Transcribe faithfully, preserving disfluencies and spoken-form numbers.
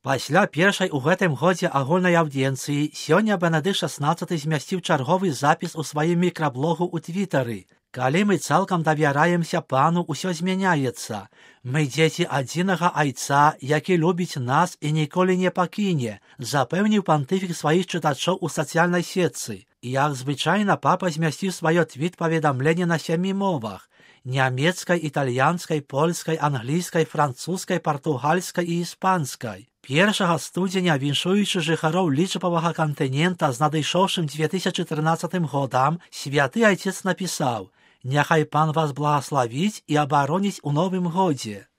Пасля першай у гэтым годзе агульнай аўдыенцыі сёння Бенедыкт шаснаццаты змясціў чарговы запіс у сваім мікраблогу ў твітары. Калі мы цалкам давяраемся пану, усё змяняецца. Мы дзеці адзінага айца, які любіць нас і ніколі не пакіне, запэўніў пантыфік сваіх чытачоў у сацыяльнай сетцы. Як звычайна, папа змясціў сваё твіт-паведамленне на сямі мовах: нямецкай, італьянскай, польскай, англійскай, французскай, партугальскай і іспанскай. Першага студзеня, віншуючы жыхароў лічбавага кантынента з надышоўшым дзве тысячы трынаццатым годам, святы айцец напісаў: «Няхай пан вас благаславіць і абароніць у новым годзе».